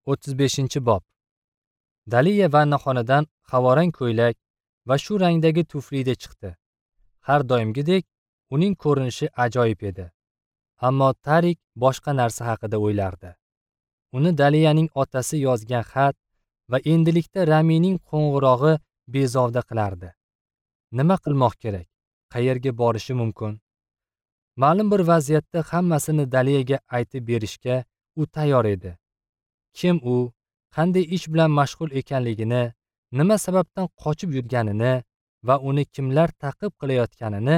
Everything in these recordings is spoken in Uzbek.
35-bob. Daliya vannaxonadan havorang ko'ylak va shu rangdagi tuflida chiqdi. Har doimgidek uning ko'rinishi ajoyib edi. Ammo Tarik boshqa narsa haqida o'ylardi. Uni Daliyaning otasi yozgan xat va endilikda Ramining qo'ng'irog'i bezovta qilardi. Nima qilmoq kerak? Qayerga borishi mumkin? Ma'lum bir vaziyatda hammasini Daliyaga aytib berishga u tayyor edi. Kim u, qanday ish bilan mashg'ul ekanligini, nima sababdan qochib yurganini va uni kimlar ta'qib qilayotganini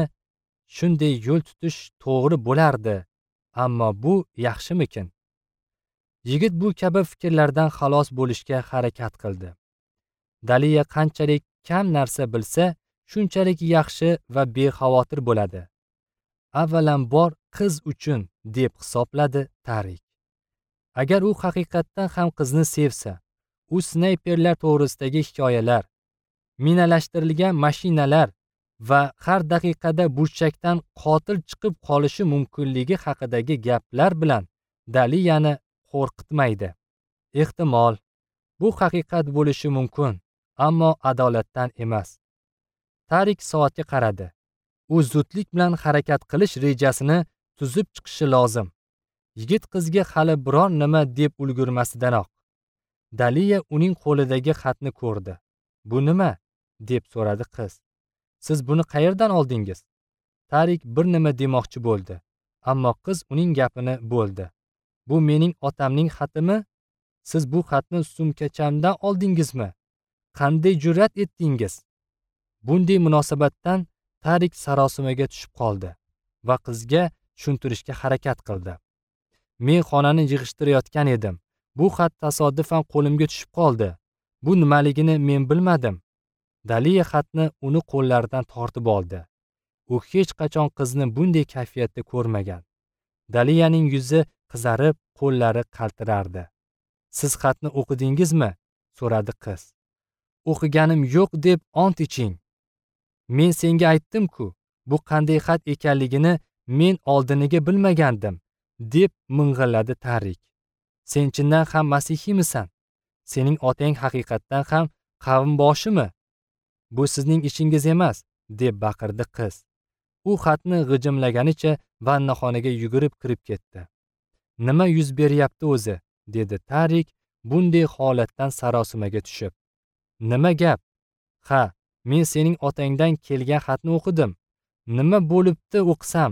shunday yo'l tutish to'g'ri bo'lardi. Ammo bu yaxshimikin? Yigit bu kabi fikrlardan xalos bo'lishga harakat qildi. Daliya qanchalik kam narsa bilsa, shunchalik yaxshi va bexavotir bo'ladi. Avvalambor qiz uchun deb hisobladi Tarik. Agar u haqiqatdan ham qizni sevsa, u snayperlar to'g'risidagi hikoyalar, minalashtirilgan mashinalar va har daqiqada burchakdan qotil chiqib qolishi mumkinligi haqidagi gaplar bilan Daliyani qo'rqitmaydi. Ehtimol, bu haqiqat bo'lishi mumkin, ammo adolatdan emas. Tarik soatga qaradi. U zudlik bilan harakat qilish rejasini tuzib chiqishi lozim. Yigit qizga hali biror nima deb ulgurmasidanoq Daliya uning qo'lidagi xatni ko'rdi. "Bu nima?" deb so'radi qiz. "Siz buni qayerdan oldingiz?" Tarik bir nima demoqchi bo'ldi, ammo qiz uning gapini bo'ldi. "Bu mening otamning xatimi? Siz bu xatni sumkachamdan oldingizmi? Qanday jur'at etdingiz?" Bunday munosabatdan Tarik sarosimaga tushib qoldi va qizga tushuntirishga harakat qildi. "Men xonani yig'ishtirayotgan edim. Bu xat tasodifan qo'limga tushib qoldi. Bu nimaligini men bilmadim." Daliya xatni uni qo'llaridan tortib oldi. U hech qachon qizni bunday kayfiyatda ko'rmagan. Daliyaning yuzi qizarib, qo'llari qaltirardi. "Siz xatni o'qidingizmi?" so'radi qiz. "O'qiganim yo'q deb ont iching. Men senga aytdim-ku, bu qanday xat ekanligini men oldiniga bilmagandim," deb ming'illadi Tarik. "Sen chindan ham masihiymisan? Sening otang haqiqatdan ham qavmboshimi? Bu sizning ishingiz emas," deb baqirdi qiz. U xatni g'ijimlaganicha vannaxonaga yugurib kirib ketdi. "Nima yuz beryapti o'zi?" dedi Tarik bunday holatdan sarosimaga tushib. "Nima gap? Ha, men sening otangdan kelgan xatni o'qidim. Nima bo'libdi o'qisam?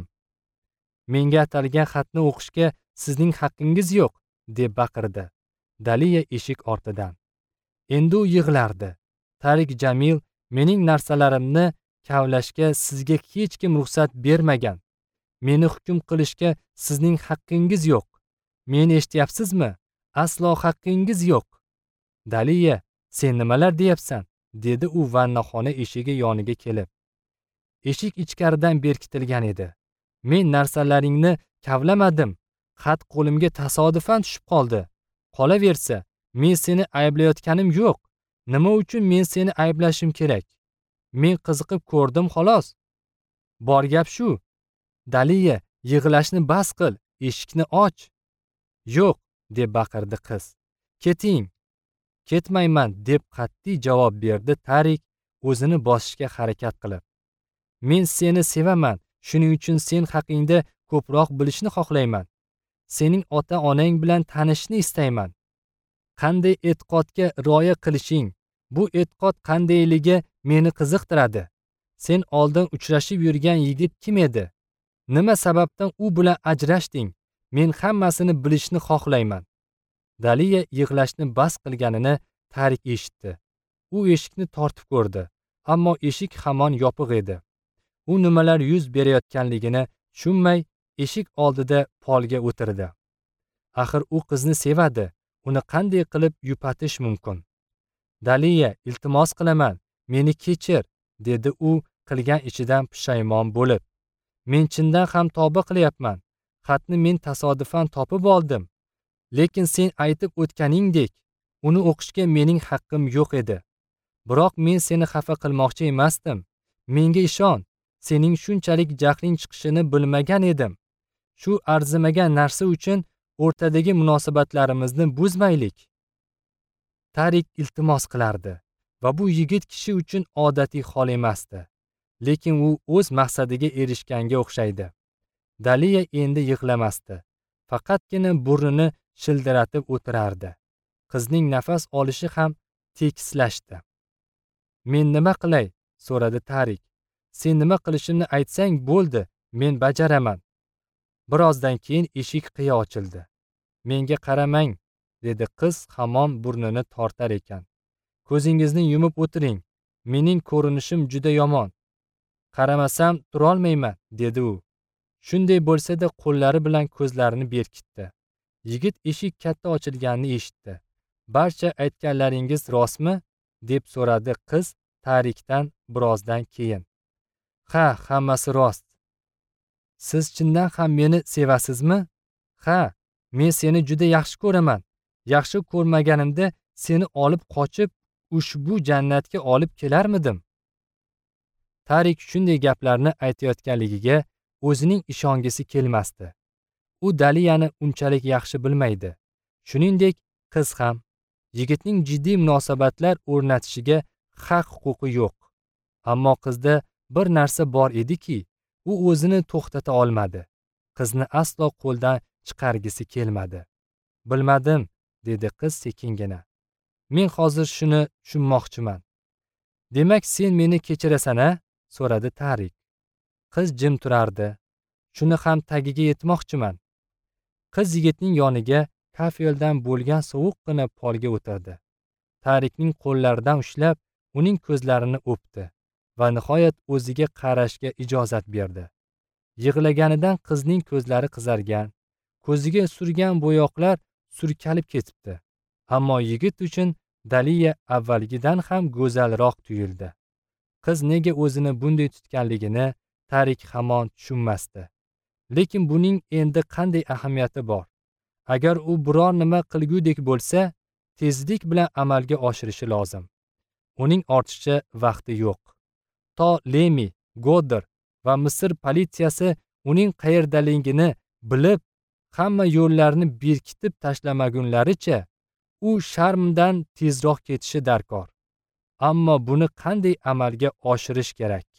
Menga atalgan xatni o'qishga sizning haqqingiz yo'q," deb baqirdi Daliya eshik ortidan. Endi u yig'lardi. "Tarik Jamil, mening narsalarimni kavlashga sizga hech kim ruxsat bermagan. Meni hukm qilishga sizning haqqingiz yo'q. Meni eshityapsizmi? Aslo haqqingiz yo'q." "Daliya, sen nimalar deyapsan?" dedi u vannaxona eshigi yoniga kelib. Eshik ichkaridan berkitilgan edi. "Men narsalaringni kavlamadim. Xat qo'limga tasodifan tushib qoldi. Qolaversa, men seni ayblayotganim yo'q. Nima uchun men seni ayblashim kerak? Men qiziqib ko'rdim xolos. Bor gap shu. Daliya, yig'lashni bas qil, eshikni och." "Yo'q," deb baqirdi qiz. "Keting." "Ketmayman," deb qat'iy javob berdi Tarik o'zini bosishga harakat qilib. "Men seni sevaman, shuning uchun sen haqingda ko'proq bilishni xohlayman. Sening ota-onang bilan tanishishni istayman. Qanday e'tiqodga rioya qilishing, bu e'tiqod qandayligi meni qiziqtiradi. Sen oldin uchrashib yurgan yigit kim edi? Nima sababdan u bilan ajrashding? Men hammasini bilishni xohlayman." Daliya yig'lashni bas qilganini Tarik eshitdi. U eshikni tortib ko'rdi, ammo eshik hamon yopiq edi. U nimalar yuz berayotganligini tushunmay eshik oldida polga o'tirdi. Axir u qizni sevadi, uni qanday qilib yupatish mumkin? "Daliya, iltimos qilaman, meni kechir," dedi u qilgan ishidan pushaymon bo'lib. "Men chindan ham tavba qilyapman. Xatni men tasodifan topib oldim. Lekin sen aytib o'tganingdek, uni o'qishga mening haqqim yo'q edi. Biroq men seni xafa qilmoqchi emasdim. Menga ishon, sening shunchalik jahling chiqishini bilmagan edim. Shu arzimagan narsa uchun o'rtadagi munosabatlarimizni buzmaylik. Tarik iltimos qilardi va bu yigit kishi uchun odatiy hol emasdi. Lekin u o'z maqsadiga erishganga o'xshaydi. Daliya endi yig'lamasdi. Faqatgina burnini shildiratib o'tirardi. Qizning nafas olishi ham tekislashdi. Men nima qilay? So'radi Tarik. Sen nima qilishimni aytsang bo'ldi, men bajaraman. Birozdan keyin eshik qiya ochildi. Menga qaramang, dedi qiz hamon burnini tortar ekan. Ko'zingizni yumib o'tiring. Mening ko'rinishim juda yomon. Qaramasam turolmayman, dedi u. Shunday bo'lsa-da qo'llari bilan ko'zlarini berkitdi. Yigit eshik katta ochilganini eshitdi. Barcha aytganlaringiz rostmi? Deb so'radi qiz Tarikdan birozdan keyin. Ha, hammasi rost. Siz chindan ham meni sevasizmi? Ha, men seni juda yaxshi ko'raman. Yaxshi ko'rmaganimda seni olib qochib ushbu jannatga olib kelarmidim? Tarik shunday gaplarni aytayotganligiga o'zining ishongisi kelmasdi. U Daliyani unchalik yaxshi bilmaydi. Shuningdek, qiz ham yigitning jiddiy munosabatlar o'rnatishiga haq-huquqi yo'q. Ammo qizda bir narsa bor ediki, u o'zini to'xtata olmadi. Qizni aslo qo'ldan chiqargisi kelmadi. Bilmadim, dedi qiz sekingina. Men hozir shuni tushunmoqchiman. Demak, sen meni kechirasan-a? So'radi Tarik. Qiz jim turardi. Shuni ham tagiga yetmoqchiman. Qiz yigitning yoniga kafeldan bo'lgan sovuqqina polga o'tirdi. Tarikning qo'llaridan ushlab, uning ko'zlarini o'pdi va nihoyat o'ziga qarashga ijozat berdi. Yig'laganidan qizning ko'zlari qizargan, ko'ziga surgan bo'yoqlar surkalib ketibdi. Ammo yigit uchun Daliya avvalgidan ham go'zalroq tuyuldi. Qiz nega o'zini bunday tutganligini Tarik hamon tushunmasdi. Lekin buning endi qanday ahamiyati bor? Agar u biror nima qilgudek bo'lsa, tezlik bilan amalga oshirishi lozim. Uning ortiqcha vaqti yo'q. To Lemi, Godder va Misr politsiyasi uning qayerdaligini bilib, hamma yo'llarni berkitib tashlamagunlaricha u Sharmdan tezroq ketishi darkor. Ammo buni qanday amalga oshirish kerak?